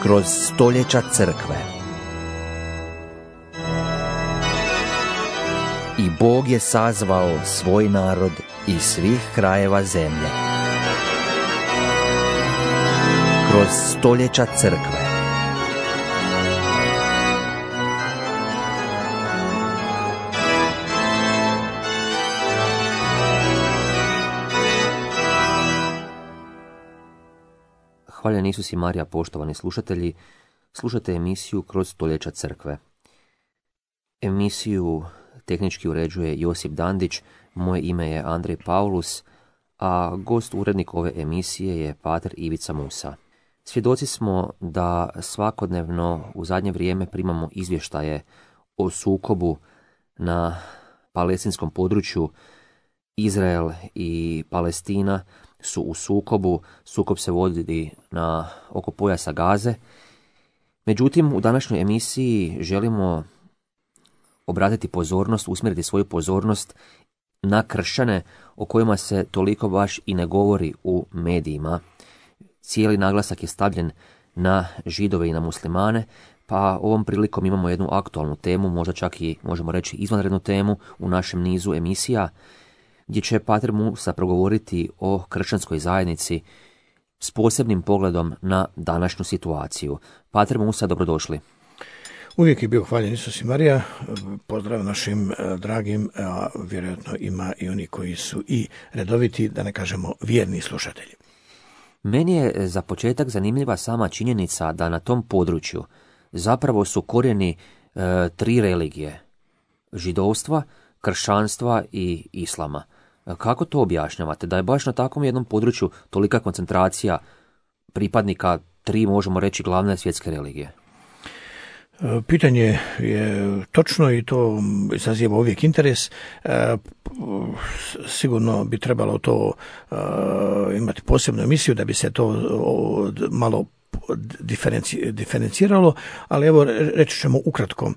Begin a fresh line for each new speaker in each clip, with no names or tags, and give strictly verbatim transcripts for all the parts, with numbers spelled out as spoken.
kroz stoljeća crkve. I Bog je sazvao svoj narod iz svih krajeva zemlje. Kroz stoljeća crkve.
Hvaljen Isus i Marija, poštovani slušatelji, slušate emisiju Kroz stoljeća crkve. Emisiju tehnički uređuje Josip Dandić, moje ime je Andrej Paulus, a gost urednik ove emisije je pater Ivica Musa. Svjedoci smo da svakodnevno u zadnje vrijeme primamo izvještaje o sukobu na palestinskom području. Izrael i Palestina su u sukobu, sukob se vodi na oko pojasa Gaze. Međutim, u današnjoj emisiji želimo obratiti pozornost, usmjeriti svoju pozornost na kršćane o kojima se toliko baš i ne govori u medijima. Cijeli naglasak je stavljen na Židove i na muslimane, pa ovom prilikom imamo jednu aktualnu temu, možda čak i možemo reći izvanrednu temu u našem nizu emisija, gdje će pater Musa progovoriti o kršćanskoj zajednici s posebnim pogledom na današnju situaciju. Pater Musa, dobrodošli.
Uvijek je bio hvaljen Isus i Marija. Pozdrav našim dragim, a vjerojatno ima i oni koji su i redoviti, da ne kažemo vjerni slušatelji.
Meni je za početak zanimljiva sama činjenica da na tom području zapravo su korijeni e, tri religije: židovstva, kršćanstva i islama. Kako to objašnjavate? Da je baš na takvom jednom području tolika koncentracija pripadnika tri, možemo reći, glavne svjetske religije?
Pitanje je točno i to izaziva uvijek interes. Sigurno bi trebalo to imati posebnu emisiju da bi se to malo diferenci, diferenciralo, ali evo reći ćemo ukratko.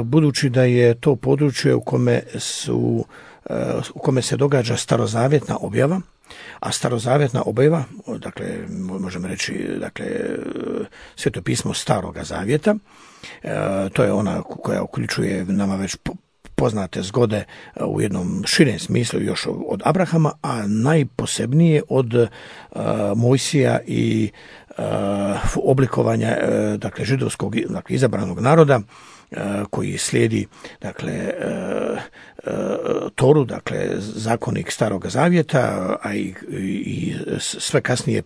Budući da je to područje u kome su u kome se događa starozavjetna objava, a starozavjetna objava, dakle možemo reći, dakle Sveto pismo Staroga zavjeta, to je ona koja uključuje nama već poznate zgode u jednom širem smislu još od Abrahama, a najposebnije od Mojsija i oblikovanja, dakle židovskog, dakle izabranog naroda koji slijedi, dakle Toru, dakle zakonik Starog zavjeta, a i, i sve kasnije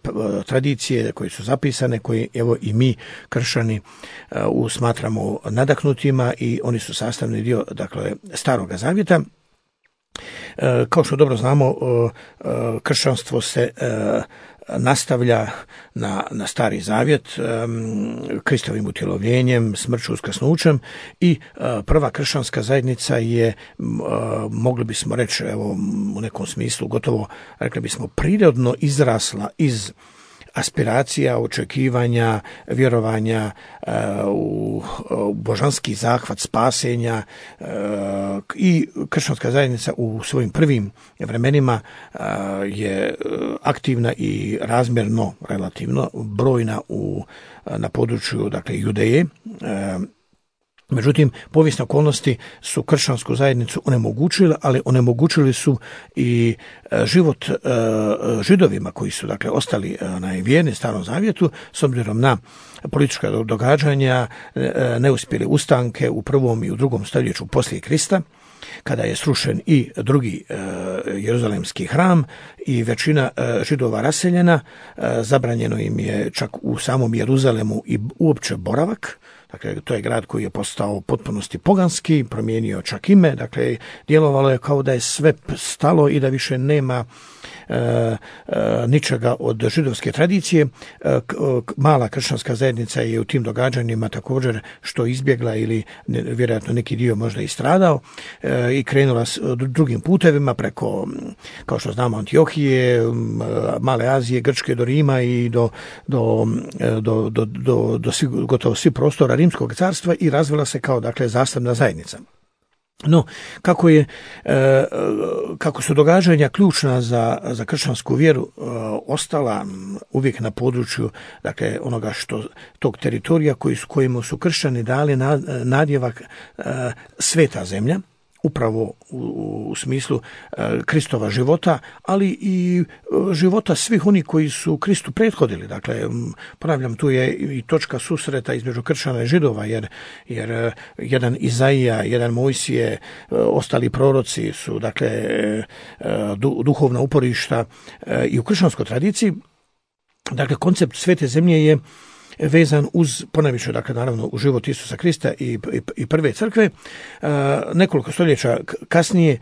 tradicije koje su zapisane, koje evo i mi kršćani smatramo nadahnutima, i oni su sastavni dio, dakle, Starog zavjeta. Kao što dobro znamo, kršćanstvo se nastavlja na, na Stari zavjet, um, Kristovim utjelovljenjem, smrću, uskrsnućem, i uh, prva kršćanska zajednica je, uh, mogli bismo reći, evo, u nekom smislu gotovo, rekli bismo, prirodno izrasla iz aspiracija, očekivanja, vjerovanja uh, u, u božanski zahvat spasenja, uh, i kršćanska zajednica u svojim prvim vremenima uh, je aktivna i razmjerno, relativno brojna u, na području, dakle, Judeje. Uh, Međutim, povijesne okolnosti su kršćansku zajednicu onemogućile, ali onemogućili su i život židovima koji su, dakle, ostali vjerni Starom zavjetu, s obzirom na politička događanja, neuspjele ustanke u prvom i u drugom stoljeću poslije Krista, kada je srušen i drugi e, jeruzalemski hram i većina e, židova raseljena, e, zabranjeno im je čak u samom Jeruzalemu i uopće boravak. Dakle, to je grad koji je postao u potpunosti poganski, promijenio čak ime, dakle, djelovalo je kao da je sve stalo i da više nema e, e, ničega od židovske tradicije. E, mala kršćanska zajednica je u tim događanjima također što izbjegla ili ne, vjerojatno neki dio možda i stradao, e, i krenula s drugim putevima preko, kao što znamo, Antiohije, Male Azije, Grčke do Rima i do, do, do, do, do, do svi, gotovo svi prostora Rimskog carstva, i razvila se kao, dakle, zasebna zajednica. No, kako je, kako su događanja ključna za, za kršćansku vjeru ostala uvijek na području, dakle, onoga što, tog teritorija koji su, kojemu su kršćani dali nadjevak sveta zemlja, upravo u, u smislu e, Kristova života, ali i e, života svih onih koji su Kristu prethodili. Dakle, m, ponavljam, tu je i točka susreta između kršćana i židova, jer, jer e, jedan Izaija, jedan Mojsije, e, ostali proroci su, dakle, e, du, duhovna uporišta e, i u kršćanskoj tradiciji. Dakle, koncept svete zemlje je vezan uz, ponajviše, dakle, naravno, u život Isusa Krista i, i, i prve crkve. E, nekoliko stoljeća kasnije, e,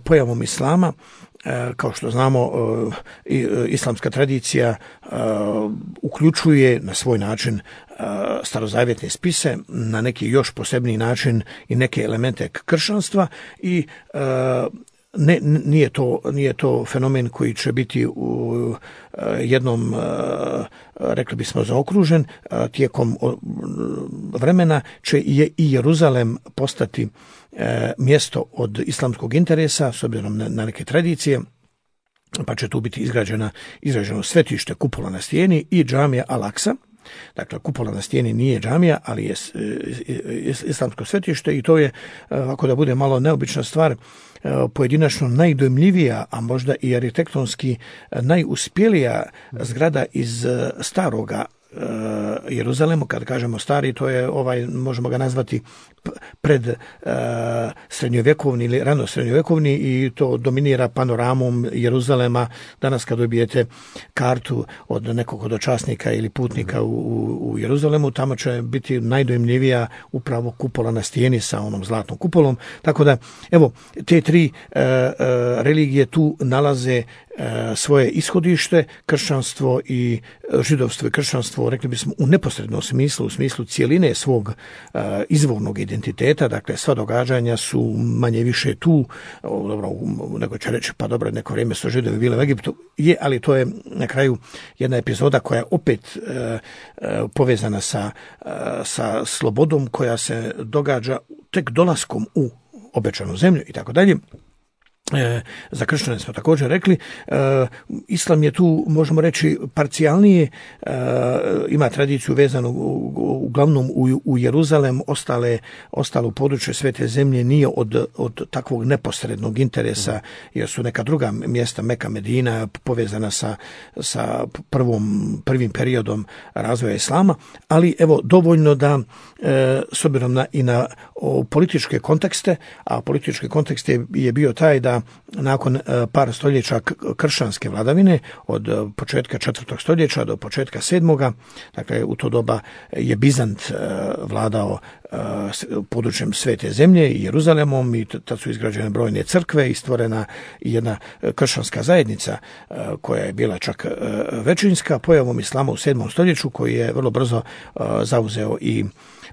pojavom islama, e, kao što znamo, e, islamska tradicija e, uključuje na svoj način e, starozavjetne spise, na neki još posebniji način i neke elemente kršćanstva i e, Ne, nije to, nije to fenomen koji će biti u jednom, rekli bismo, zaokružen. Tijekom vremena će i Jeruzalem postati mjesto od islamskog interesa s obzirom na neke tradicije, pa će tu biti izgrađena, izgrađeno svetište, kupola na stijeni i džamija Al-Aksa. Dakle, kupola na stijeni nije džamija, ali je islamsko svetište i to je, ako da bude malo neobična stvar, pojedinačno najdojmljivija, a možda i arhitektonski najuspjelija zgrada iz staroga Jeruzalemu. Kad kažemo stari, to je ovaj, možemo ga nazvati pred uh, srednjovjekovni ili rano srednjovjekovni i to dominira panoramom Jeruzalema. Danas kad dobijete kartu od nekog hodočasnika ili putnika u, u, u Jeruzalemu, tamo će biti najdojmljivija upravo kupola na stijeni sa onom zlatnom kupolom. Tako da, evo, te tri uh, uh, religije tu nalaze svoje ishodište, kršćanstvo i židovstvo i kršćanstvo, rekli bismo, u neposrednom smislu, u smislu cijeline svog uh, izvornog identiteta, dakle sva događanja su manje više tu, o, dobro, neko će reći, pa dobro, neko vrijeme su židovi bili u Egiptu, je, ali to je na kraju jedna epizoda koja je opet uh, uh, povezana sa, uh, sa slobodom koja se događa tek dolaskom u obećanu zemlju i tako dalje. E, za kršćane smo također rekli, e, islam je tu, možemo reći, parcijalnije, e, ima tradiciju vezanu u, uglavnom u, u Jeruzalem, ostale, ostalo područje svete zemlje nije od, od takvog neposrednog interesa, jer su neka druga mjesta, Meka, Medina, povezana sa, sa prvom, prvim periodom razvoja islama, ali evo, dovoljno da e, s obzirom na, i na o, političke kontekste, a politički kontekst je, je bio taj da nakon par stoljeća kršćanske vladavine, od početka četvrtog stoljeća do početka sedmoga, dakle u to doba je Bizant vladao područjem svete zemlje i Jeruzalemom i tad su izgrađene brojne crkve i stvorena jedna kršćanska zajednica koja je bila čak većinska. Pojavom islama u sedmom stoljeću koji je vrlo brzo zauzeo i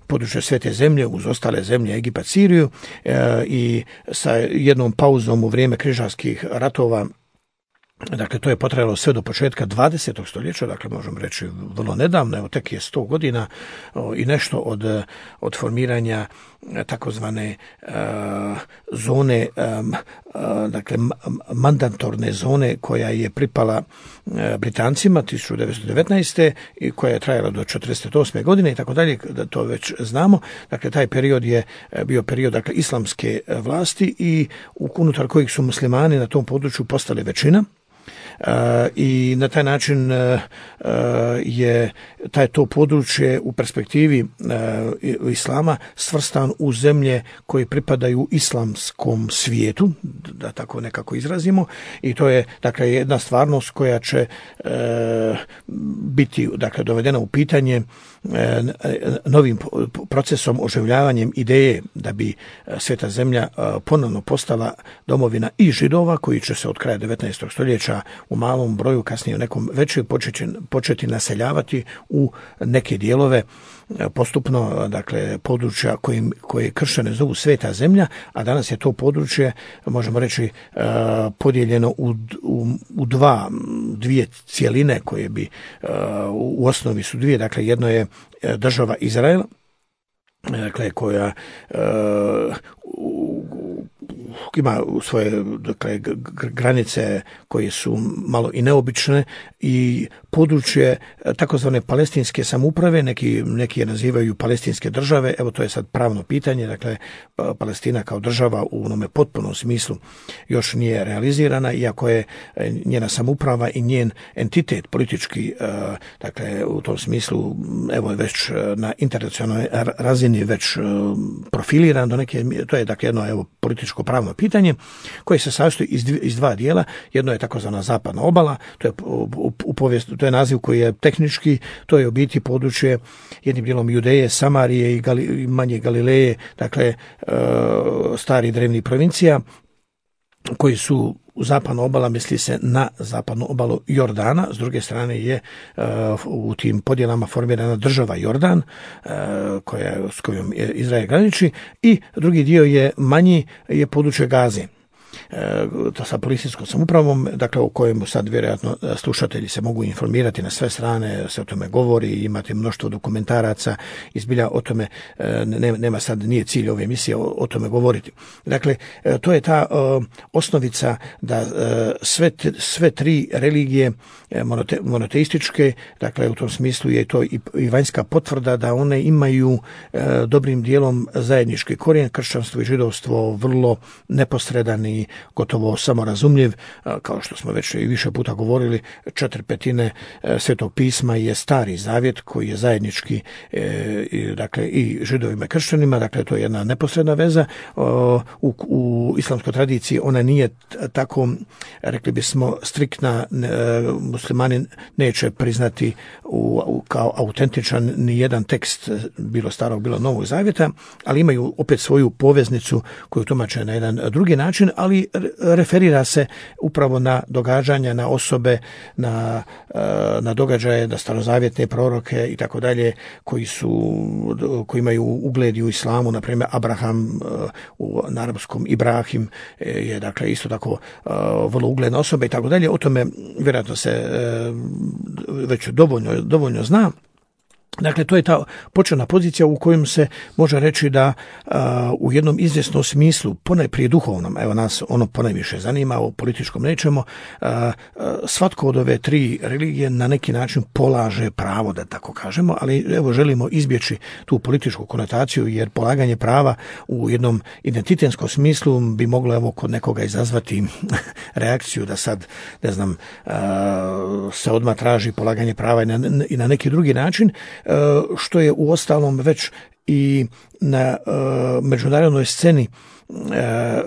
područje svete zemlje uz ostale zemlje, Egipat, Siriju, e, i sa jednom pauzom u vrijeme križarskih ratova. Dakle, to je potrajalo sve do početka dvadesetog stoljeća, dakle možemo reći vrlo nedavno, evo tek je sto godina o, i nešto od, od formiranja takozvane uh, zone, um, uh, dakle mandatorne zone koja je pripala uh, Britancima tisuću devetsto devetnaeste i koja je trajala do četrdeset osme godine i tako dalje, da to već znamo. Dakle, taj period je bio period, dakle, islamske vlasti i unutar kojih su muslimani na tom području postali većina. Uh, i na taj način uh, je taj to područje u perspektivi uh, islama svrstan u zemlje koje pripadaju islamskom svijetu, da tako nekako izrazimo, i to je, dakle, jedna stvarnost koja će uh, biti, dakle, dovedena u pitanje uh, novim procesom, oživljavanjem ideje da bi sveta zemlja uh, ponovno postala domovina i Židova koji će se od kraja devetnaestog stoljeća u malom broju, kasnije u nekom većem početi, početi naseljavati u neke dijelove postupno, dakle, područja kojim, koje kršćane zovu sveta zemlja, a danas je to područje, možemo reći, podijeljeno u, u, u dva, dvije cijeline koje bi, u osnovi su dvije, dakle, jedno je država Izrael, dakle, koja, ima svoje dakle, granice koje su malo i neobične i područje takozvane palestinske samouprave, neki, neki je nazivaju palestinske države, evo to je sad pravno pitanje, dakle Palestina kao država u onome potpunom smislu još nije realizirana, iako je njena samouprava i njen entitet politički, dakle u tom smislu evo već na internacionalnoj razini već profiliran do neke, to je dakle jedno evo političko pravno pitanje koje se sastoji iz, iz dva dijela. Jedno je takozvana zapadna obala, to je u, u povijest, to je naziv koji je tehnički, to je u biti područje jednim dijelom Judeje, Samarije i, Gali, i manje Galileje, dakle e, stari drevni provincija koji su u zapadnu obala, misli se na zapadnu obalu Jordana, s druge strane je uh, u tim podjelama formirana država Jordan, uh, koja, s kojom je Izrael graniči, i drugi dio je manji, je područje Gaze. To sa policijskom samoupravom, dakle o kojem sad vjerojatno slušatelji se mogu informirati na sve strane, se o tome govori, imate mnoštvo dokumentaraca, izbilja o tome, ne, nema sad, nije cilj ove emisije o, o tome govoriti. Dakle, to je ta uh, osnovica da uh, sve, t, sve tri religije monote, monoteističke, dakle u tom smislu je to i, i vanjska potvrda da one imaju uh, dobrim dijelom zajednički korijen, kršćanstvo i židovstvo vrlo neposredan i gotovo samorazumljiv, kao što smo već i više puta govorili, četiri petine Svetog pisma je Stari zavjet koji je zajednički e, dakle i židovima i kršćanima, dakle to je jedna neposredna veza. U, u islamskoj tradiciji ona nije tako, rekli bismo, striktna, muslimani neće priznati u, u, kao autentičan ni jedan tekst bilo starog, bilo novog zavjeta, ali imaju opet svoju poveznicu koju tumače na jedan drugi način, ali referira se upravo na događanja, na osobe, na, na događaje, na starozavjetne proroke i tako dalje, koji su, koji imaju ugled u islamu, na primjer Abraham, u arapskom Ibrahim je dakle isto tako vrlo ugledna osoba i tako dalje. O tome vjerojatno se već dovoljno, dovoljno zna. Dakle, to je ta početna pozicija u kojem se može reći da a, u jednom izvjesnom smislu, ponajprije duhovnom, evo nas ono ponajviše zanima, o političkom nećemo, a, a, svatko od ove tri religije na neki način polaže pravo, da tako kažemo, ali evo želimo izbjeći tu političku konotaciju, jer polaganje prava u jednom identitetskom smislu bi moglo evo kod nekoga izazvati reakciju da sad, ne znam, a, se odmah traži polaganje prava i na, i na neki drugi način, što je u ostalom već i na uh, međunarodnoj sceni uh,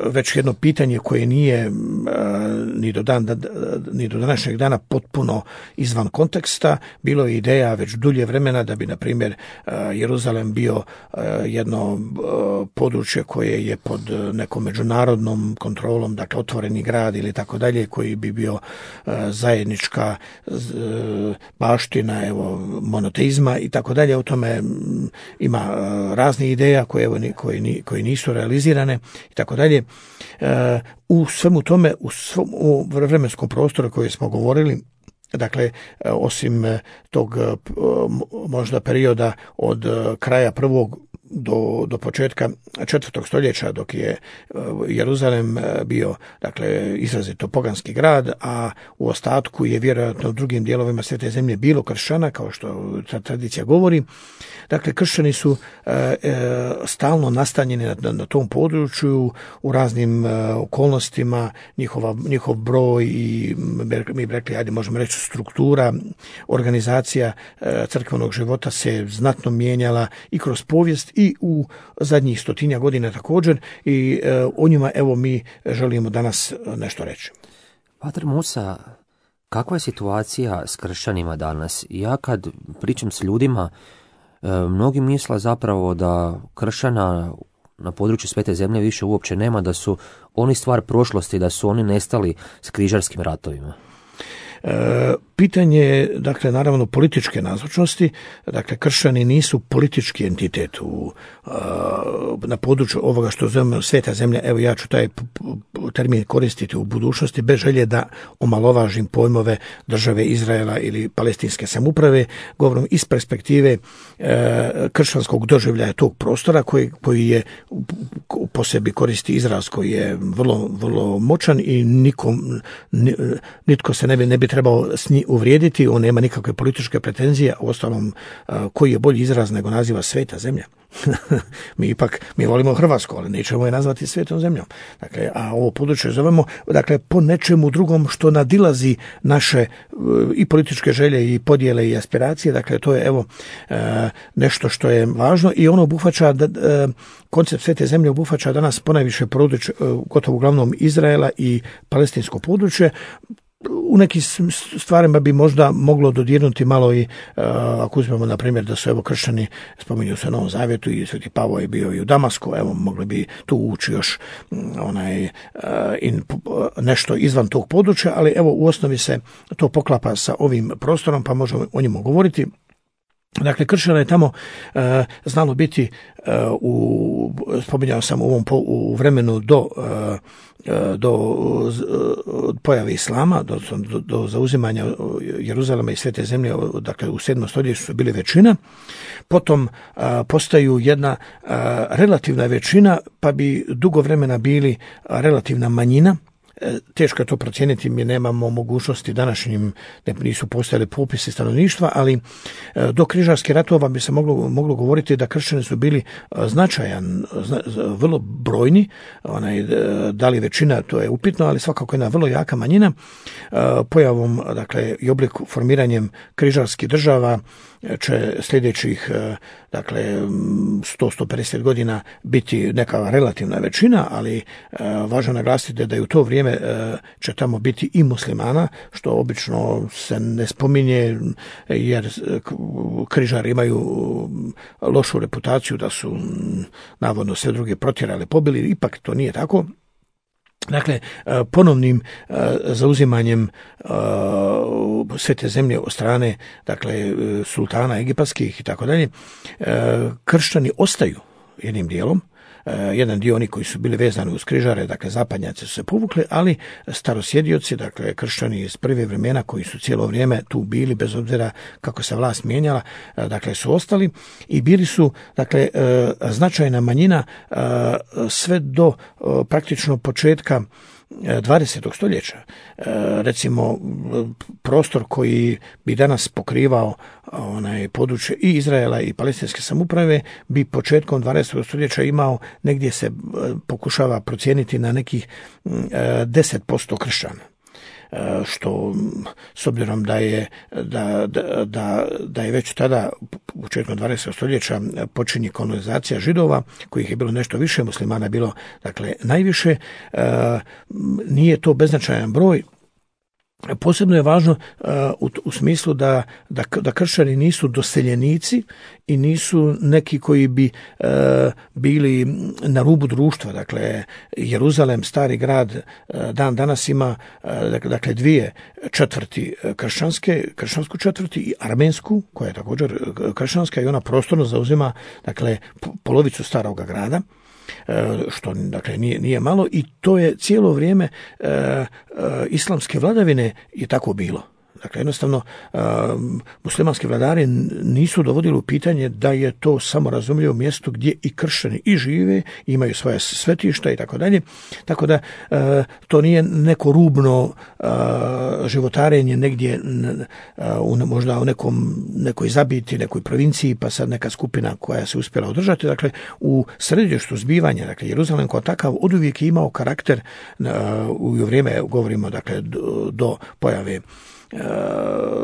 već jedno pitanje koje nije uh, ni, do dan, da, ni do današnjeg dana potpuno izvan konteksta. Bilo je ideja već dulje vremena da bi, na primjer, uh, Jeruzalem bio uh, jedno uh, područje koje je pod nekom međunarodnom kontrolom, dakle otvoreni grad ili tako dalje, koji bi bio uh, zajednička uh, baština, evo, monoteizma i tako dalje. O tome um, ima uh, razne ideja koje, evo, koje, koje nisu realizirane i tako dalje. U svemu tome, u svom u vremenskom prostoru koje smo govorili, dakle, osim tog možda perioda od kraja prvog do, do početka četvrtog stoljeća, dok je Jeruzalem bio, dakle, izrazito poganski grad, a u ostatku je vjerojatno u drugim dijelovima Svete zemlje bilo kršćana, kao što ta tradicija govori. Dakle, kršćani su e, e, stalno nastanjeni na, na tom području u raznim e, okolnostima, njihova, njihov broj i mi bi rekli, ajde možemo reći, struktura, organizacija e, crkvenog života se znatno mijenjala i kroz povijest i u zadnjih stotinja godina također, i e, o njima evo mi želimo danas nešto reći.
Pater Musa, kakva je situacija s kršćanima danas? Ja kad pričam s ljudima, mnogi misle zapravo da kršćana na području Svete zemlje više uopće nema, da su oni stvar prošlosti, da su oni nestali s križarskim ratovima.
E, pitanje, dakle, naravno političke nazočnosti, dakle, kršćani nisu politički entitet u, na području ovoga što zovemo sveta zemlja. Evo, ja ću taj termin koristiti u budućnosti bez želje da omalovažim pojmove države Izraela ili palestinske samouprave, govorim iz perspektive kršćanskog doživljaja tog prostora koji, koji je po sebi koristi izraz koji je vrlo, vrlo moćan i nikom, nitko se ne bi, ne bi trebao s njim uvrijediti, on nema nikakve političke pretenzije, a uostalom koji je bolji izraz nego naziva sveta zemlja. mi ipak, mi volimo Hrvatsku, ali nećemo je nazvati svetom zemljom. Dakle, a ovo područje zovemo, dakle, po nečemu drugom što nadilazi naše i političke želje i podjele i aspiracije. Dakle, to je evo nešto što je važno i ono obuhvaća da, koncept svete zemlje obuhvaća danas ponajviše područje, gotovo uglavnom Izraela i palestinsko područje. U nekim stvarima bi možda moglo dodirnuti malo i uh, ako uzmemo na primjer da su evo kršćani, spominju se u Novom Zavjetu i Sveti Pavao je bio i u Damasku, evo mogli bi tu ući još onaj uh, in, uh, nešto izvan tog područja, ali evo u osnovi se to poklapa sa ovim prostorom pa možemo o njemu govoriti. Dakle, kršćana je tamo uh, znalo biti uh, u, spominjao sam u ovom po, u vremenu do uh, do uh, pojave islama, do, do, do zauzimanja Jeruzalema i svete zemlje, dakle u sedmom stoljeću su bili većina, potom uh, postaju jedna uh, relativna većina, pa bi dugo vremena bili relativna manjina. Teško je to procijeniti, mi nemamo mogućnosti današnjim, ne, nisu postojali popisi stanovništva, ali do križarskih ratova bi se moglo, moglo govoriti da kršćani su bili značajan, zna, vrlo brojni, onaj, da li većina, to je upitno, ali svakako jedna vrlo jaka manjina. Pojavom, dakle, i oblik formiranjem križarskih država će sljedećih, dakle, sto do sto pedeset godina biti neka relativna većina, ali važno naglasiti da je u to vrijeme će tamo biti i muslimana, što obično se ne spominje jer križari imaju lošu reputaciju da su navodno sve druge protjerali, pobili, ipak to nije tako. Dakle, ponovnim zauzimanjem svete zemlje od strane, dakle, sultana egipatskih i tako dalje, kršćani ostaju jednim dijelom. Jedan dio oni koji su bili vezani uz križare, dakle zapadnjaci su se povukli, ali starosjedioci, dakle kršćani iz prve vremena koji su cijelo vrijeme tu bili bez obzira kako se vlast mijenjala, dakle su ostali i bili su, dakle, značajna manjina sve do praktično početka dvadesetog stoljeća. Recimo, prostor koji bi danas pokrivao onaj područje i Izraela i palestinske samouprave bi početkom dvadesetog stoljeća imao, negdje se pokušava procijeniti na nekih deset posto kršćana. Što s obzirom da je, da, da, da je već tada početkom dvadesetog stoljeća počinje kolonizacija Židova, kojih je bilo nešto više, muslimana bilo, dakle, najviše, nije to beznačajan broj. Posebno je važno uh, u, u smislu da, da, da kršćani nisu doseljenici i nisu neki koji bi uh, bili na rubu društva. Dakle, Jeruzalem, stari grad, uh, dan danas ima uh, dakle dvije četvrti kršćanske, kršćansku četvrti i armensku, koja je također kršćanska i ona prostorno zauzima, dakle, polovicu staroga grada, što, dakle, nije, nije malo i to je cijelo vrijeme e, e, islamske vladavine je tako bilo. Dakle, jednostavno, uh, muslimanski vladari nisu dovodili u pitanje da je to samo razumljivo mjesto gdje i kršćani i žive, imaju svoje svetišta i tako dalje. Tako da uh, to nije neko rubno uh, životarenje negdje uh, u, možda u nekom, nekoj zabiti, nekoj provinciji, pa sad neka skupina koja se uspjela održati. Dakle, u središtu zbivanja, dakle, Jeruzalem kao takav oduvijek je imao karakter uh, u vrijeme, govorimo, dakle, do, do pojave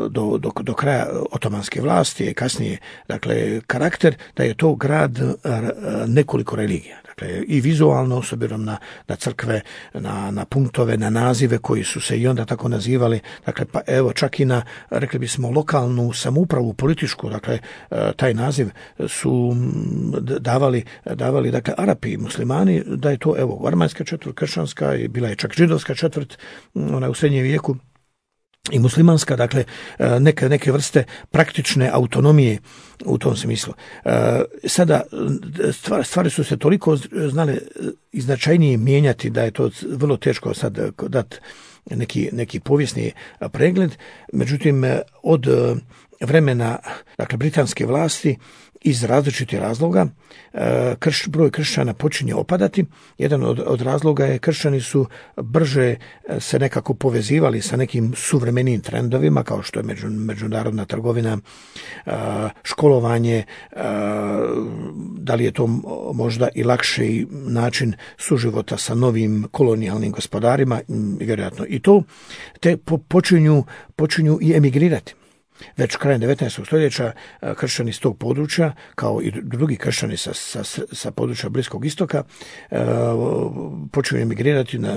Do, do, do kraja otomanske vlasti i kasnije, dakle, karakter da je to grad nekoliko religija. Dakle, i vizualno, s obzirom na, na crkve, na, na punktove, na nazive koji su se i onda tako nazivali, dakle, pa evo čak i na, rekli bismo, lokalnu samoupravu, političku, dakle, taj naziv su davali, davali, dakle, Arapi, muslimani, da je to, evo, armanska četvrt, kršćanska, bila je čak židovska četvrt, ona u srednjem vijeku. i muslimanska, dakle neke, neke vrste praktične autonomije u tom smislu. Sada stvari su se toliko znale i značajnije mijenjati da je to vrlo teško sad dati neki, neki povijesni pregled. Međutim, od vremena, dakle, britanske vlasti iz različitih razloga krš, broj kršćana počinje opadati. Jedan od, od razloga je kršćani su brže se nekako povezivali sa nekim suvremenim trendovima, kao što je među, međunarodna trgovina, školovanje, da li je to možda i lakši način suživota sa novim kolonijalnim gospodarima, vjerojatno i to, te počinju, počinju i emigrirati. Već krajem devetnaestog stoljeća kršćani s tog područja, kao i drugi kršćani sa, sa, sa područja Bliskog istoka, počinju emigrirati na,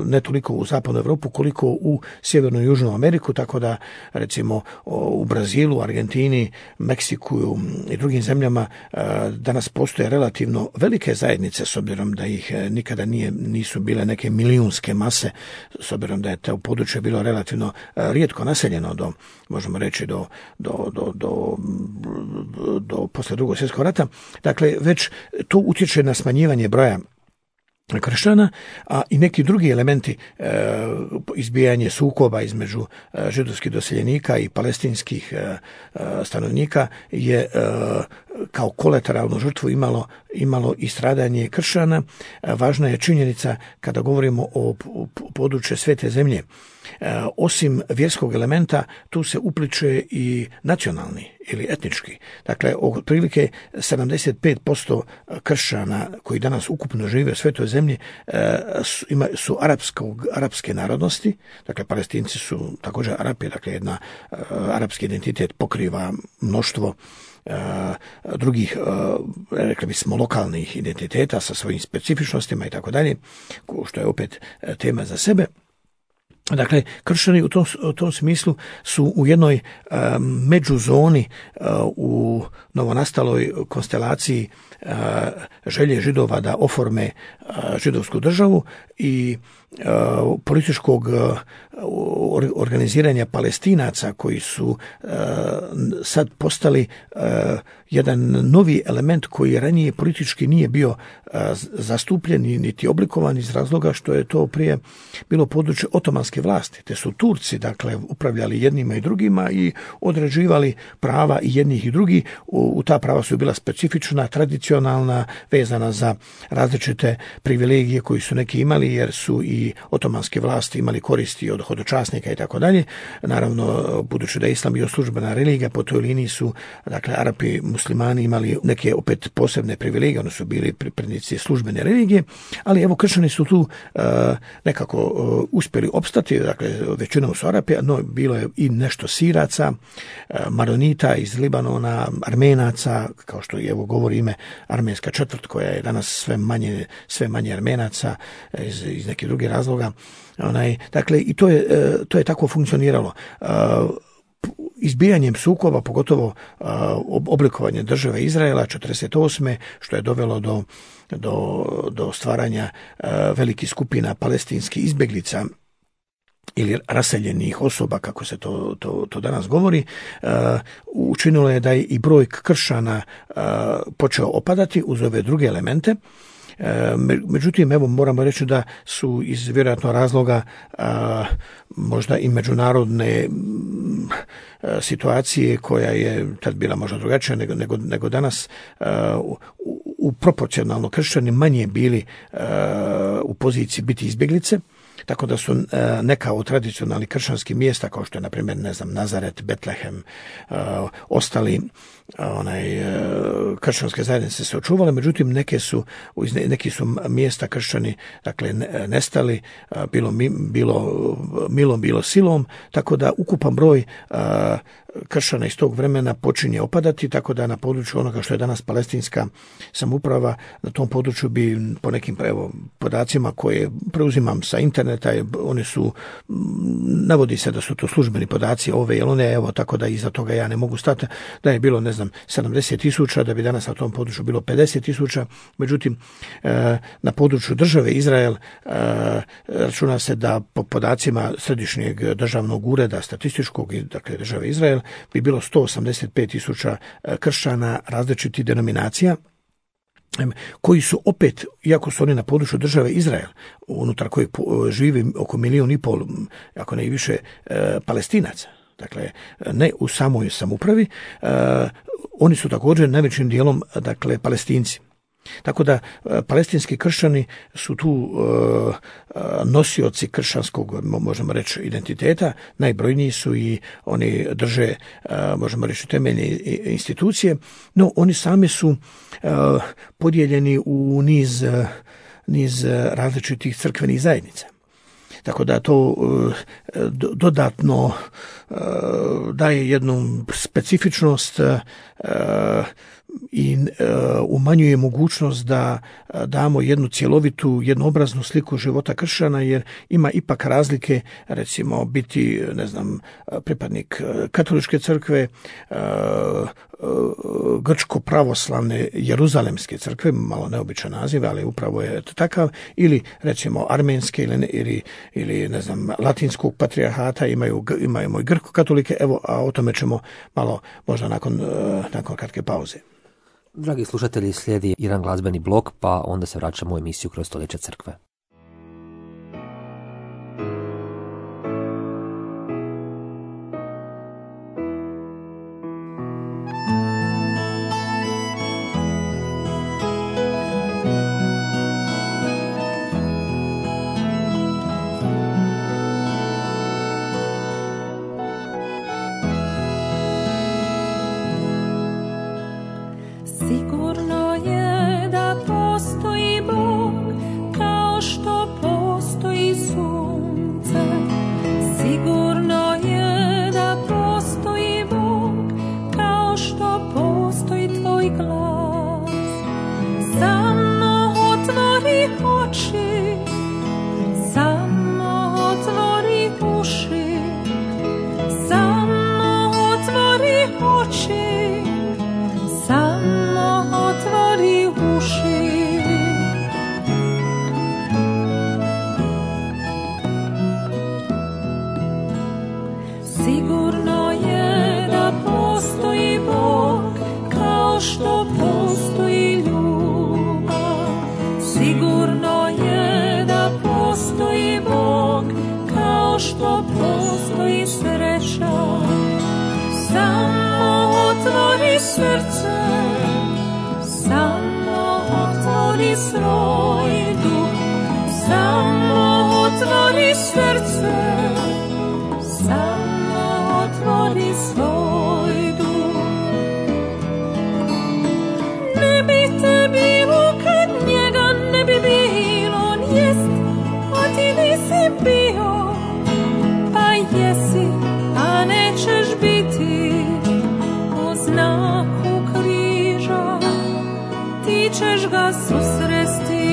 ne toliko u zapadnu Europu koliko u sjevernu i južnu Ameriku, tako da recimo u Brazilu, Argentini, Meksiku i drugim zemljama danas postoje relativno velike zajednice, s obzirom da ih nikada nije, nisu bile neke milijunske mase, s obzirom da je to područje bilo relativno rijetko naseljeno do, možemo reći, do, do, do, do, do posle drugog svjetskog rata. Dakle, već to utječe na smanjivanje broja kršćana, a i neki drugi elementi, e, izbijanje sukoba između e, židovskih doseljenika i palestinskih e, stanovnika je e, kao kolateralnu žrtvu imalo, imalo i stradanje kršćana. E, važna je činjenica kada govorimo o, o području Svete zemlje. E, osim vjerskog elementa, tu se upliče i nacionalni ili etnički. Dakle, otprilike sedamdeset pet posto kršćana koji danas ukupno žive u Svetoj zemlji e, su, ima, su arapskog, arapske narodnosti. Dakle, Palestinci su također Arapi, dakle, jedna e, arapski identitet pokriva mnoštvo e, drugih, e, rekli bismo, lokalnih identiteta sa svojim specifičnostima i tako dalje, što je opet tema za sebe. Dakle, kršćani u tom, u tom smislu su u jednoj um, međuzoni uh, u novonastaloj konstelaciji uh, želje Židova da oforme uh, židovsku državu i uh, političkog uh, organiziranja Palestinaca koji su uh, sad postali uh, jedan novi element koji ranije politički nije bio uh, zastupljen niti oblikovan iz razloga što je to prije bilo područje otomanske vlasti, te su Turci, dakle, upravljali jednima i drugima i određivali prava i jednih i drugih. U, u ta prava su bila specifična, tradicionalna, vezana za različite privilegije koji su neki imali, jer su i otomanske vlasti imali koristi od hodočasnika i tako dalje. Naravno, budući da je islam bio službena religija, po toj liniji su, dakle, Arapi, muslimani imali neke opet posebne privilegije, oni su bili pripadnici službene religije, ali evo, kršćani su tu uh, nekako uh, uspjeli opstati. Dakle, većinom su Arapi, no bilo je i nešto Siraca, Maronita iz Libanona, Armenaca, kao što evo govori ime armenska četvrt, koja je danas sve manje, sve manje Armenaca iz, iz nekih drugih razloga. Onaj, dakle, i to je, to je tako funkcioniralo. Izbijanjem sukoba, pogotovo oblikovanje države Izraela četrdeset osme, što je dovelo do, do, do stvaranja velikih skupina palestinskih izbjeglica ili raseljenih osoba, kako se to, to, to danas govori, uh, učinilo je da je i broj kršćana uh, počeo opadati uz ove druge elemente. Uh, međutim, evo, moramo reći da su iz vjerojatno razloga uh, možda i međunarodne um, situacije koja je tad bila možda drugačija nego, nego, nego danas, uh, u, u proporcionalno kršćani manje bili uh, u poziciji biti izbjeglice. Tako da su e, neka od tradicionalnih kršćanskih mjesta, kao što je, na primjer, ne znam, Nazaret, Betlehem, e, ostali onaj, e, kršćanske zajednice se očuvale, međutim, neke su, neki su mjesta kršćani, dakle, nestali, bilo, bilo milom, bilo silom, tako da ukupan broj e, kršćana iz tog vremena počinje opadati, tako da na području onoga što je danas palestinska samouprava, na tom području bi po nekim evo, podacima koje preuzimam sa interneta, oni su, navodi se da su to službeni podaci ove ili one, evo tako da iza toga ja ne mogu stati, da je bilo ne znam sedamdeset tisuća, da bi danas na tom području bilo pedeset tisuća, međutim na području države Izrael računa se da po podacima Središnjeg državnog ureda statističkog, dakle države Izrael, bi bilo sto osamdeset pet tisuća kršćana različitih denominacija, koji su opet, iako su oni na području države Izrael, unutar kojeg živi oko milijun i pol, ako ne i više, Palestinaca, dakle ne u samoj samoupravi, oni su također najvećim dijelom, dakle, Palestinci. Tako da palestinski kršćani su tu uh, nosioci kršćanskog, možemo reći, identiteta, najbrojniji su i oni drže, uh, možemo reći, temeljne institucije, no oni sami su uh, podijeljeni u niz, uh, niz različitih crkvenih zajednica. Tako da to uh, dodatno uh, daje jednu specifičnost uh, i uh, umanjuje mogućnost da uh, damo jednu cjelovitu, jednoobraznu sliku života kršćana, jer ima ipak razlike, recimo biti, ne znam, pripadnik katoličke crkve, uh, uh, grčko-pravoslavne Jeruzalemske crkve, malo neobičan naziv, ali upravo je takav, ili recimo armenske ili, ili, ili ne znam, latinskog patrijarhata, imaju, imaju i grko-katolike, evo, a o tome ćemo malo možda nakon, uh, nakon kratke pauze.
Dragi slušatelji, slijedi jedan glazbeni blok, pa onda se vraćamo u emisiju Kroz stoljeća crkve.
Sigurno je da postoji Bog, kao što postoji sunce. Sigurno je da postoji Bog, kao što postoji tvoj glas. Samo otvori oči, samo otvori uši, samo otvori oči, samo otvori uši. Sigurno je da postoji Bog, kao što postoji ljubav. Sigurno je da postoji Bog, kao što postoji sreća. Samo otvori srce, samo otvori svoj duh, samo otvori srce, samo otvori svoj duh. Ne bi te bilo kad njega ne bi bilo, on jest, a ti nisi bio, pa jesi, a nećeš biti. U znaku križa ti ćeš ga susresti.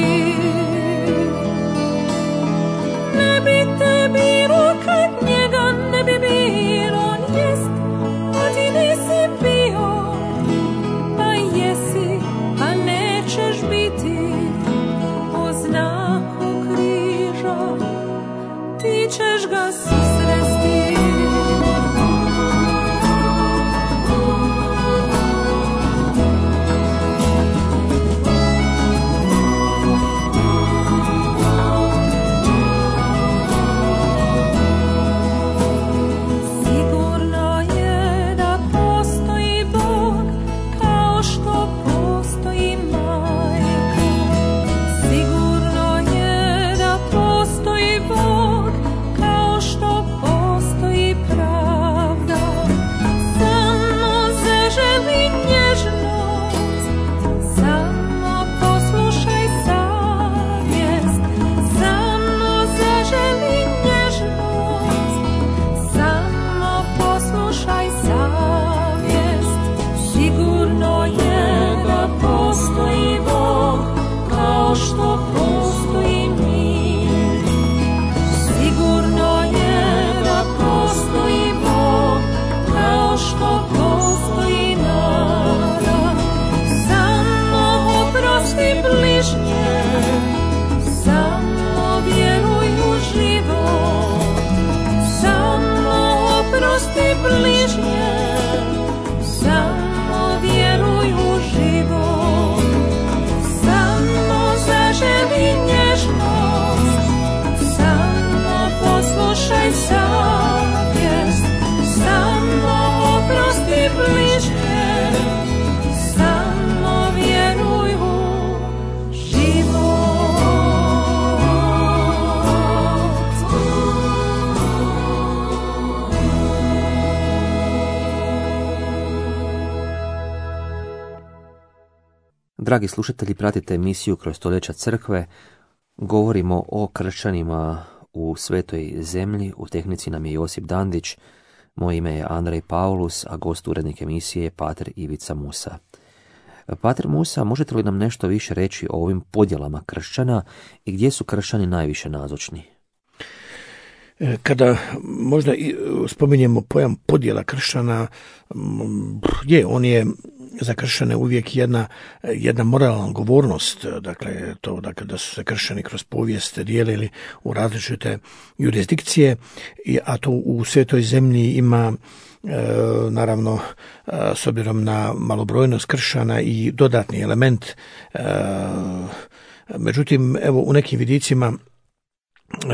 Ne bi te bilo kad njega ne bi bilo, on jest, bliže, samo vjeruj u život.
Dragi slušatelji, pratite emisiju Kroz stoljeća crkve. Govorimo o kršćanima u svetoj zemlji. U tehnici nam je Josip Dandić. Moje ime je Andrej Paulus, a gost urednik emisije je pater Ivica Musa. Pater Musa, možete li nam nešto više reći o ovim podjelama kršćana i gdje su kršćani najviše nazočni?
Kada možda spominjemo pojam podjela kršćana, je, on je za kršćane uvijek jedna, jedna moralna odgovornost, dakle to dakle, da su se kršćani kroz povijest dijelili u različite jurisdikcije, a to u svetoj zemlji ima e, naravno e, s obzirom na malobrojnost kršćana i dodatni element. E, međutim, evo u nekim vidicima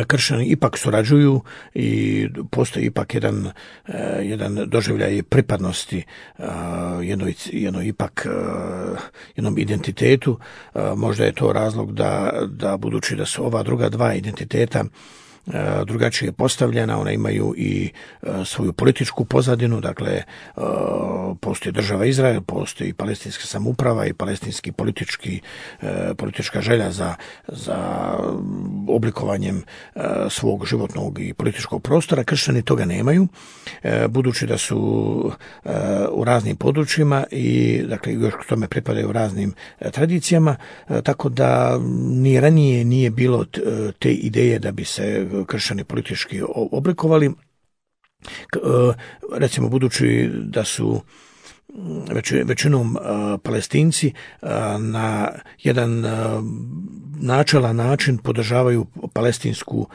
kršćani ipak surađuju i postoji ipak jedan, jedan doživljaj pripadnosti jednoj, jednoj ipak jednom identitetu. Možda je to razlog da, da budući da su ova druga dva identiteta drugačije postavljena, one imaju i svoju političku pozadinu, dakle postoji država Izrael, postoji palestinska samouprava i palestinski politički, politička želja za, za oblikovanjem svog životnog i političkog prostora. Kršćani toga nemaju, budući da su u raznim područjima i dakle još k tome pripadaju raznim tradicijama, tako da ni ranije nije bilo te ideje da bi se kršćani politički oblikovali. Recimo, budući da su većinom Palestinci na jedan načelan način podržavaju palestinsku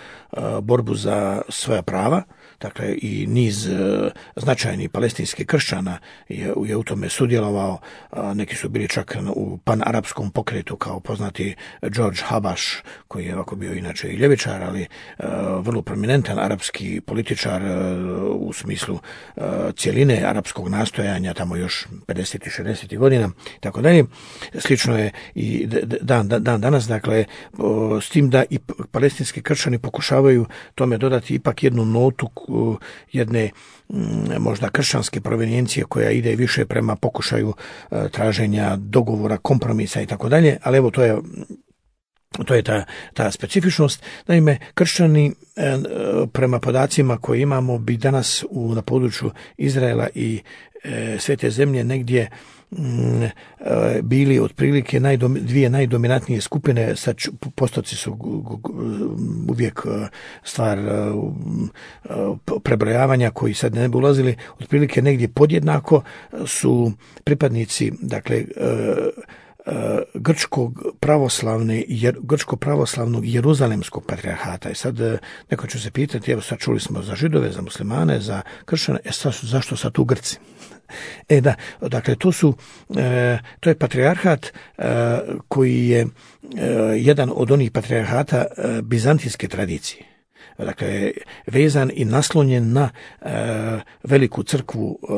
borbu za svoja prava, dakle i niz značajnih palestinskih kršćana je, je u tome sudjelovao. Neki su bili čak u panarapskom pokretu, kao poznati George Habash, koji je ovako bio inače i ljevičar, ali vrlo prominentan arapski političar u smislu cjeline arapskog nastojanja tamo još pedesetih i šezdesetih godina, tako dalje. Slično je i dan, dan danas, dakle, s tim da i palestinski kršćani pokušavaju tome dodati ipak jednu notu jedne možda kršćanske provenijencije koja ide više prema pokušaju traženja dogovora, kompromisa i tako dalje, ali evo to je To je ta, ta specifičnost. Naime, kršćani prema podacima koje imamo bi danas u, na području Izraela i e, Svete zemlje negdje m, e, bili otprilike najdom, dvije najdominantnije skupine. Sad postoci su uvijek stvar prebrojavanja koji sad ne bi ulazili. Otprilike negdje podjednako su pripadnici, dakle, e, grčkog pravoslavne, jer, grčko pravoslavnog jeruzalemskog patrijarhata. I sad neko će se pitati, evo sad čuli smo za Židove, za muslimane, za kršćane, e sad su, zašto sad tu Grci? E da, dakle to su, e, to je patrijarhat e, koji je e, jedan od onih patrijarhata e, bizantijske tradicije. Dakle, vezan i naslonjen na e, veliku crkvu e,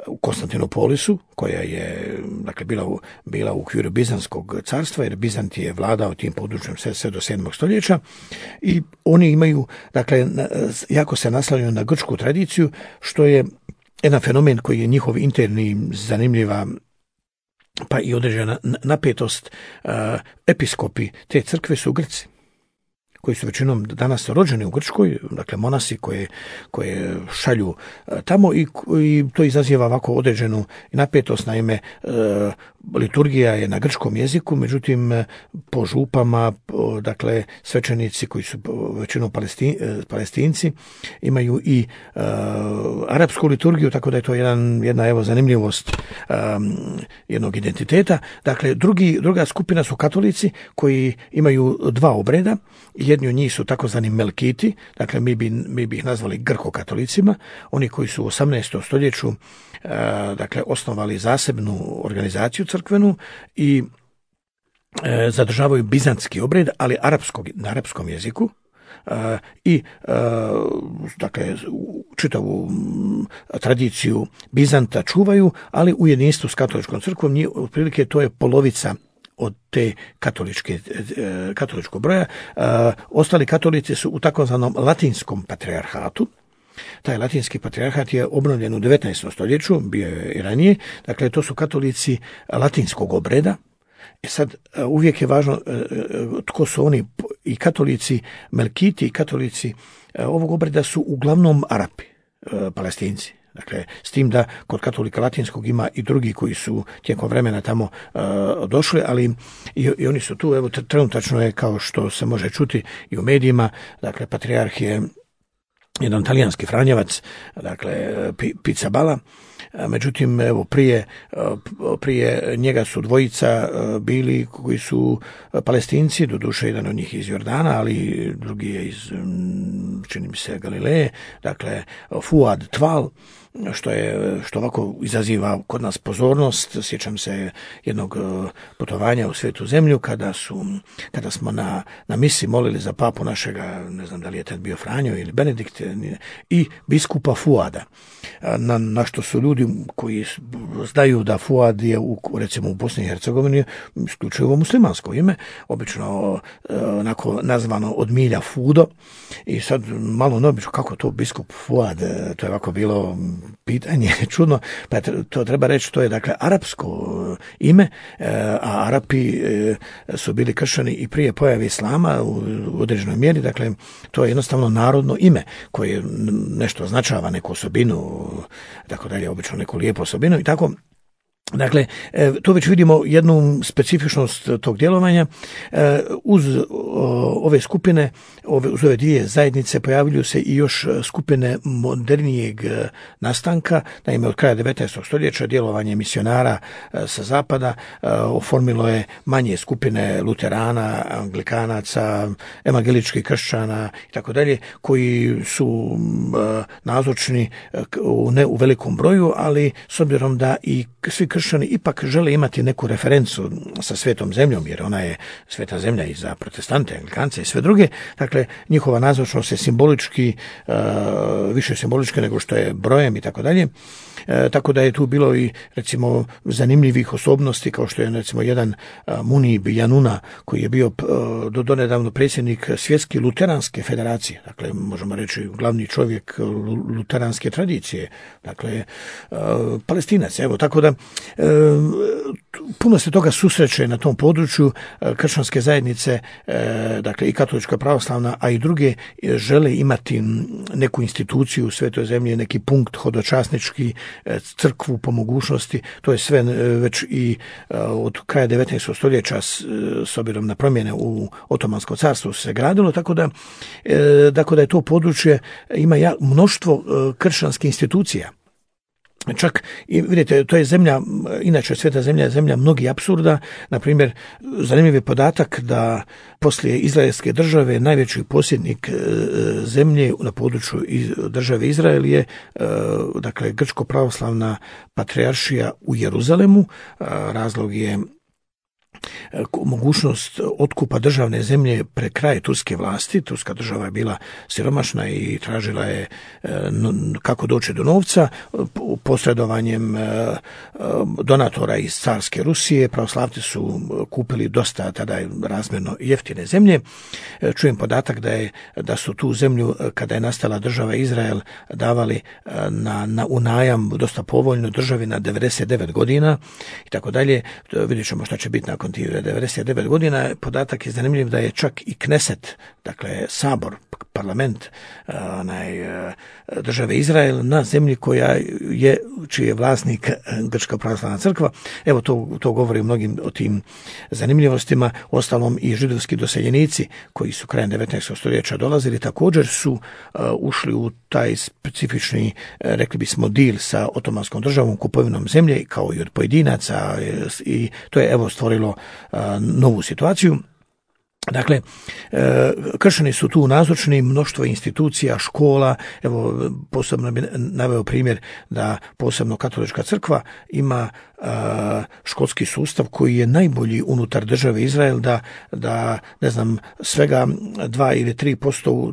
u Konstantinopolisu, koja je, dakle, bila u, bila u okviru Bizantskog carstva, jer Bizant je vladao tim područjem sve, sve do sedmog stoljeća, i oni imaju, dakle, jako se naslanjaju na grčku tradiciju, što je jedan fenomen koji je njihov interni, zanimljiva pa i određena napetost. E, episkopi te crkve su Grci, koji su većinom danas rođeni u Grčkoj, dakle monasi koje, koje šalju tamo, i, i to izaziva ovako određenu napetost. Naime, e, liturgija je na grčkom jeziku, međutim po župama, po, dakle svećenici koji su većinom palestin, palestinci imaju i e, arapsku liturgiju, tako da je to jedan, jedna evo zanimljivost e, jednog identiteta. Dakle, drugi, druga skupina su katolici koji imaju dva obreda. Jedni od njih su takozvani melkiti, dakle mi bi, mi bi ih nazvali grko-katolicima, oni koji su u osamnaestom stoljeću e, dakle osnovali zasebnu organizaciju crkvenu i e, zadržavaju bizantski obred, ali arapskog, na arapskom jeziku. i dakle čitavu tradiciju Bizanta čuvaju, ali u jedinstvu s katoličkom crkvom, otprilike to je polovica od te katoličke, katoličkog broja. Ostali katolici su u takozvanom latinskom patrijarhatu. Taj latinski patrijarhat je obnovljen u devetnaestom stoljeću, bio je i ranije, dakle to su katolici latinskog obreda. E sad, uvijek je važno tko su oni, i katolici Melkiti i katolici ovog obreda su uglavnom Arapi, Palestinci. Dakle, s tim da kod katolika latinskog ima i drugi koji su tijekom vremena tamo uh, došli, ali i, i oni su tu. Evo, trenutačno je, kao što se može čuti i u medijima, dakle, patrijarh je jedan talijanski franjevac, dakle, Pizzaballa. Međutim, evo, prije, prije njega su dvojica bili koji su Palestinci, doduše jedan od njih iz Jordana, ali drugi je iz, čini mi se, Galileje, dakle, Fuad Tval, što je, što ovako izaziva kod nas pozornost. Sjećam se jednog putovanja u Svetu zemlju kada su, kada smo na, na misi molili za papu našega, ne znam da li je tad bio Franjo ili Benedikt, i biskupa Fuada. Na, na što su ljudi koji znaju da Fuad je u, recimo u Bosni i Hercegovini isključivo muslimansko ime, obično onako nazvano od milja Fudo, i sad malo neobično kako to biskup Fuad, to je ovako bilo pitanje čudno, pa to treba reći, to je dakle arapsko ime, a Arapi su bili kršćani i prije pojave islama u određenoj mjeri, dakle to je jednostavno narodno ime koje nešto označava, neku osobinu, tako dalje, obično neku lijepu osobinu i tako. Dakle, tu već vidimo jednu specifičnost tog djelovanja. Uz ove skupine, uz ove dvije zajednice pojavljuju se i još skupine modernijeg nastanka. Naime, od kraja devetnaestog stoljeća djelovanje misionara sa zapada oformilo je manje skupine luterana, anglikanaca, evangeličkih kršćana i tako dalje, koji su nazočni ne u velikom broju, ali s obzirom da i svi kršćani ipak žele imati neku referencu sa svetom zemljom, jer ona je sveta zemlja i za protestante, anglikance i sve druge. Dakle, njihova nazočnost je simbolički, uh, više simbolički nego što je brojem i tako dalje. Tako da je tu bilo i, recimo, zanimljivih osobnosti, kao što je, recimo, jedan uh, Munib Januna, koji je bio uh, do donedavno predsjednik Svjetske luteranske federacije, dakle, možemo reći glavni čovjek luteranske tradicije, dakle, uh, Palestinac. Evo, tako da uh, puno se toga susreće na tom području. Uh, kršćanske zajednice, uh, dakle, i katolička pravoslavna, a i druge, uh, žele imati neku instituciju u svetoj zemlji, neki punkt hodočasnički, crkvu po mogućnosti. To je sve već i od kraja devetnaestog stoljeća s obzirom na promjene u Otomanskom carstvu se gradilo, tako da, tako da je to područje ima mnoštvo kršćanskih institucija. Čak, i vidite, to je zemlja, inače sveta zemlja je zemlja mnogih apsurda. Na primjer, zanimljiv je podatak da poslije izraelske države najveći posjednik zemlje na području države Izrael je, dakle, grčko-pravoslavna patrijaršija u Jeruzalemu. Razlog je mogućnost otkupa državne zemlje pre kraja turske vlasti. Turska država je bila siromašna i tražila je kako doći do novca. Posredovanjem donatora iz carske Rusije pravoslavci su kupili dosta tada razmjerno jeftine zemlje. Čujem podatak da je da su tu zemlju, kada je nastala država Izrael, davali na, na u najam dosta povoljno državi na devedeset devet godina i tako dalje. Vidjet ćemo šta će biti nakon tih devedeset devet godina. Podatak je zanimljiv da je čak i Kneset, dakle sabor, parlament onaj, države Izrael na zemlji koja je, čiji je vlasnik Grčka pravoslavna crkva. Evo, to, to govori o mnogim o tim zanimljivostima. Ostalom i židovski doseljenici koji su krajem devetnaestog stoljeća dolazili također su uh, ušli u taj specifični, uh, rekli bismo, dil sa otomanskom državom, kupovinom zemlje, kao i od pojedinaca, i to je, evo, stvorilo uh, novu situaciju. Dakle, kršćani su tu nazočni, mnoštvo institucija, škola. Evo, posebno bi naveo primjer da posebno katolička crkva ima školski sustav koji je najbolji unutar države Izrael, da, da ne znam, svega dva ili tri posto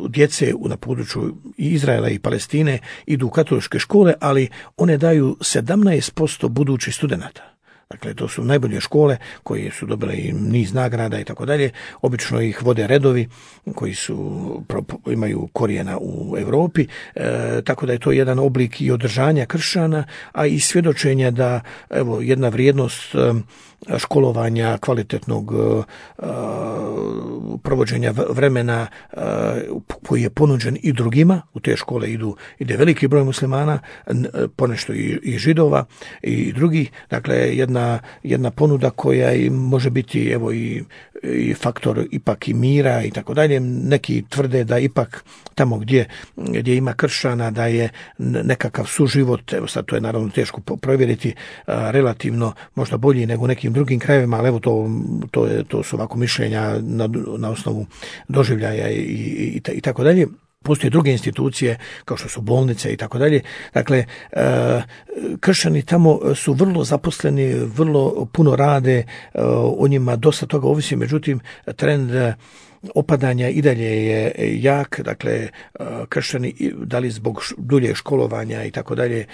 djece na području Izraela i Palestine idu u katoličke škole, ali one daju sedamnaest posto budućih studenata. Dakle, to su najbolje škole koje su dobile i niz nagrada i tako dalje. Obično ih vode redovi koji su, imaju korijena u Europi, e, tako da je to jedan oblik i održanja kršćana, a i svjedočenja da evo jedna vrijednost e, školovanja, kvalitetnog e, provođenja vremena e, koji je ponuđen i drugima. U te škole idu, ide veliki broj muslimana, ponešto i, i židova i drugih. Dakle, jedna jedna ponuda koja i može biti evo i, i faktor ipak i mira i tako dalje. Neki tvrde da ipak tamo gdje, gdje ima kršćana da je nekakav suživot, evo sad to je naravno teško provjeriti, a, relativno možda bolji nego u nekim drugim krajevima, ali evo to, to, je, to su ovako mišljenja na, na osnovu doživljaja i, i, i tako dalje. Postoje druge institucije kao što su bolnice i tako dalje. Dakle, kršćani tamo su vrlo zaposleni, vrlo puno rade, o njima dosta toga ovisi, međutim trend opadanja i dalje je jak. Dakle, kršćani, da li zbog duljeg školovanja i tako dalje,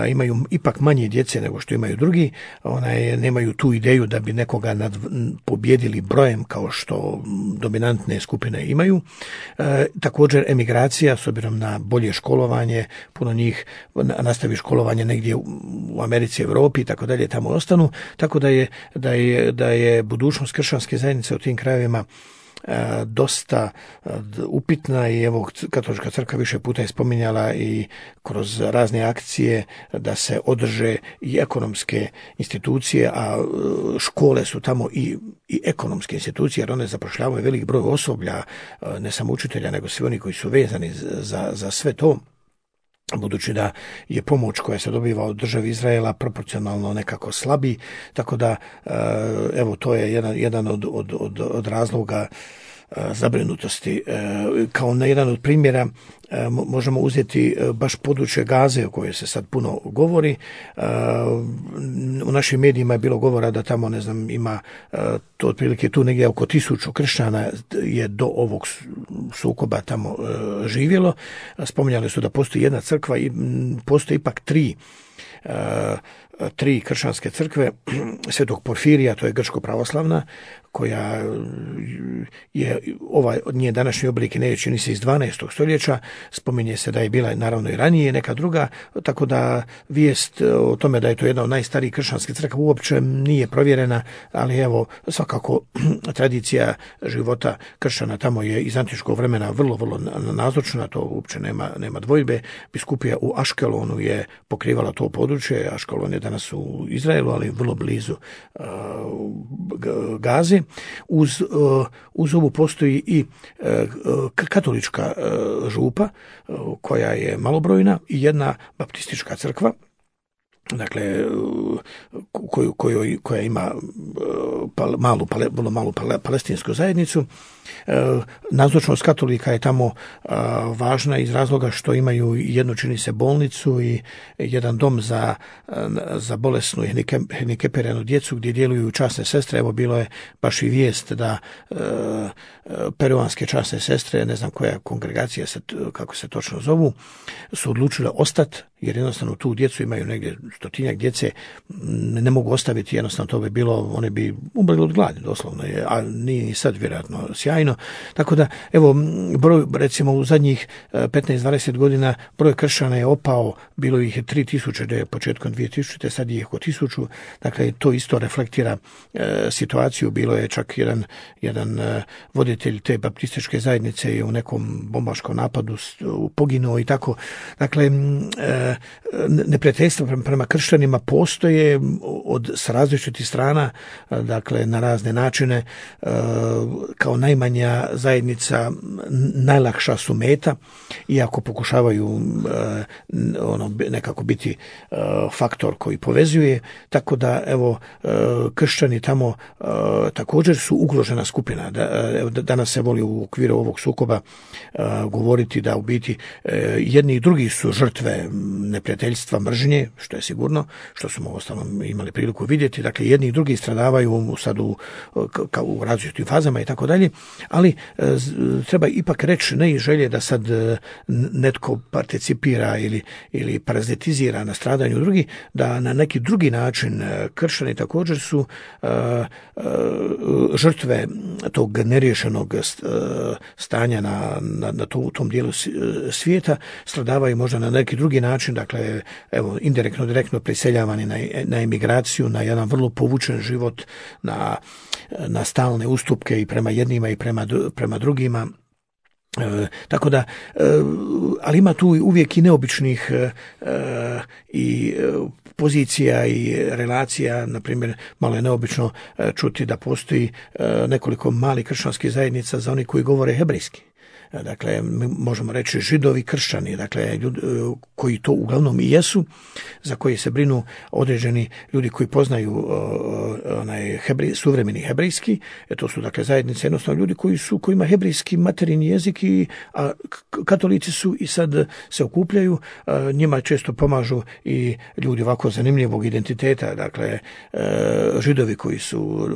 imaju ipak manje djece nego što imaju drugi. Onaj, nemaju tu ideju da bi nekoga nad, pobjedili brojem kao što dominantne skupine imaju. E, također emigracija, s obzirom na bolje školovanje, puno njih nastavi školovanje negdje u Americi, Europi i tako dalje, tamo ostanu. Tako da je, da je, da je budućnost kršćanske zajednice u tim krajevima dosta upitna i evo katolička crkva više puta je spominjala i kroz razne akcije da se održe i ekonomske institucije, a škole su tamo i, i ekonomske institucije jer one zapošljavaju velik broj osoblja, ne samo učitelja nego svi oni koji su vezani za, za sve to. Budući da je pomoć koja se dobiva od države Izraela proporcionalno nekako slabi, tako da evo to je jedan, jedan od, od, od, od razloga zabrinutosti. Kao na jedan od primjera možemo uzeti baš područje Gaze o kojoj se sad puno govori. U našim medijima je bilo govora da tamo, ne znam, ima to otprilike tu negdje oko tisuću kršćana je do ovog sukoba tamo živjelo. Spominjali su da postoji jedna crkva i postoji ipak tri tri kršćanske crkve, Svetog Porfirija, to je grčko-pravoslavna, koja je, ovaj od nje današnji oblik ne čini se iz dvanaestog stoljeća, spominje se da je bila naravno i ranije neka druga, tako da vijest o tome da je to jedna od najstarijih kršćanskih crkva uopće nije provjerena, ali evo svakako tradicija života kršćana tamo je iz antičkog vremena vrlo, vrlo nazočna, to uopće nema, nema dvojbe. Biskupija u Aškelonu je pokrivala to područje, Aškelon je danas u Izraelu, ali vrlo blizu uh, Gaze. Uz, uh, uz ovu postoji i uh, katolička uh, župa uh, koja je malobrojna i jedna baptistička crkva, dakle koju, koju, koja ima pal, malu, pale, vrlo malu pale, palestinsku zajednicu. Nazočnost katolika je tamo važna iz razloga što imaju jednu, čini se, bolnicu i jedan dom za, za bolesnu i hendikepiranu djecu gdje djeluju časne sestre. Evo bilo je baš i vijest da peruanske časne sestre, ne znam koja kongregacija se, kako se točno zovu, su odlučile ostati jer jednostavno tu djecu imaju negdje stotinjak djece, ne mogu ostaviti, jednostavno to bi bilo, one bi umrli od gladi doslovno, a nije ni sad vjerojatno sjajno. Tako da, evo, broj, recimo u zadnjih petnaest dvadeset godina broj kršćana je opao, bilo ih je tri tisuće da je početkom dvije tisućite, sad je oko tisuću, dakle to isto reflektira e, situaciju. Bilo je čak jedan, jedan e, voditelj te baptističke zajednice je u nekom bombaškom napadu poginuo i tako. Dakle, e, neprijateljstvo prema kršćanima postoje od s različitih strana, dakle na razne načine, kao najmanja zajednica najlakša su meta, iako pokušavaju ono nekako biti faktor koji povezuje, tako da evo kršćani tamo također su ugrožena skupina. Danas se voli u okviru ovog sukoba govoriti da u biti jedni i drugi su žrtve neprijateljstva, mržnje, što je sigurno, što smo ostalom imali priliku vidjeti. Dakle, jedni i drugi stradavaju sad u, kao u različitim fazama i tako dalje, ali treba ipak reći, ne i želje da sad netko participira ili, ili parazitizira na stradanju drugih, da na neki drugi način kršćani također su uh, uh, žrtve tog neriješenog stanja na, na, na tom, tom dijelu svijeta, stradavaju možda na neki drugi način, dakle, evo, indirektno, direktno priseljavani na, na emigraciju, na jedan vrlo povučen život, na, na stalne ustupke i prema jednima i prema, prema drugima. E, tako da, e, ali ima tu uvijek i neobičnih e, i pozicija i relacija. Na primjer, malo je neobično e, čuti da postoji e, nekoliko malih kršćanskih zajednica za oni koji govore hebrejski. Dakle, možemo reći židovi kršćani, dakle, ljudi koji to uglavnom i jesu, za koji se brinu određeni ljudi koji poznaju onaj hebrej, suvremeni hebrejski, e, to su dakle zajednice, jednostavno ljudi koji su, koji ima hebrejski materijni jezik, i, a katolici su i sad se okupljaju, a, njima često pomažu i ljudi ovako zanimljivog identiteta, dakle, a, židovi koji su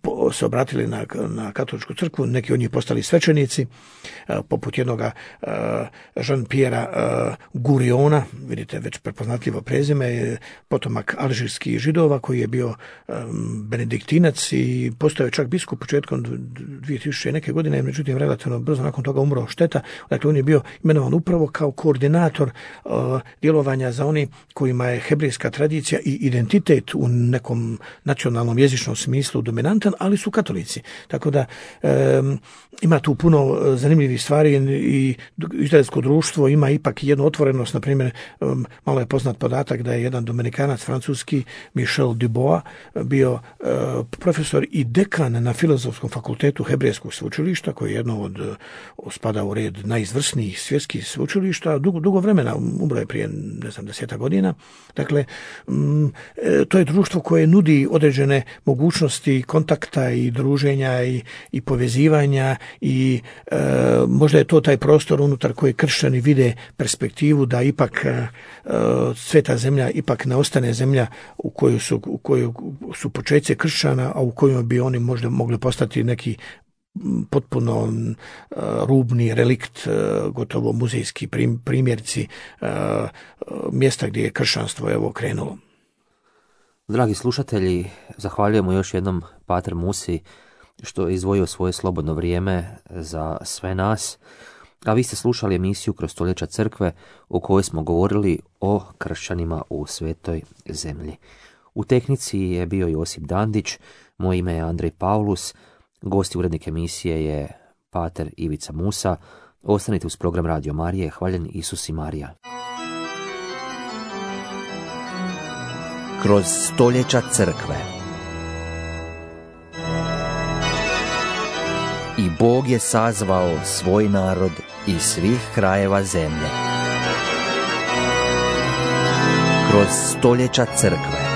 a, se obratili na, na katoličku crkvu, neki od njih postali svećenici, poput jednoga uh, Jean-Pierre uh, Guriona, vidite već prepoznatljivo prezime, potomak alžirskih židova koji je bio um, benediktinac i postao je čak biskup početkom dvije tisuće neke godine, međutim relativno brzo nakon toga umro šteta. Dakle, on je bio imenovan upravo kao koordinator uh, djelovanja za oni kojima je hebrejska tradicija i identitet u nekom nacionalnom jezičnom smislu dominantan, ali su katolici. Tako da um, ima tu puno zanimljivih stvari i izraelsko društvo ima ipak jednu otvorenost. Na primjer, um, malo je poznat podatak da je jedan dominikanac francuski, Michel Dubois, bio uh, profesor i dekan na Filozofskom fakultetu Hebrejskog sveučilišta, koji je jedno od uh, spada u red najizvrsnijih svjetskih sveučilišta, dugo, dugo vremena, umro je prije, ne znam, deseta godina. Dakle, um, to je društvo koje nudi određene mogućnosti kontakta i druženja i, i povezivanja i uh, možda je to taj prostor unutar koji kršćani vide perspektivu da ipak uh, sveta zemlja ipak ne ostane zemlja u kojoj su, u kojoj su početci kršćana, a u kojoj bi oni možda mogli postati neki potpuno uh, rubni relikt, uh, gotovo muzejski prim, primjerci uh, mjesta gdje je kršćanstvo evo krenulo.
Dragi slušatelji, zahvaljujemo još jednom pater Musi što je izdvojio svoje slobodno vrijeme za sve nas, a vi ste slušali emisiju Kroz stoljeća crkve u kojoj smo govorili o kršćanima u svetoj zemlji. U tehnici je bio Josip Dandić, moje ime je Andrej Paulus, gost i urednik emisije je pater Ivica Musa. Ostanite uz program Radio Marije. Hvaljen Isus i Marija.
Kroz stoljeća crkve. I Bog je sazvao svoj narod iz svih krajeva zemlje. Kroz stoljeća crkve.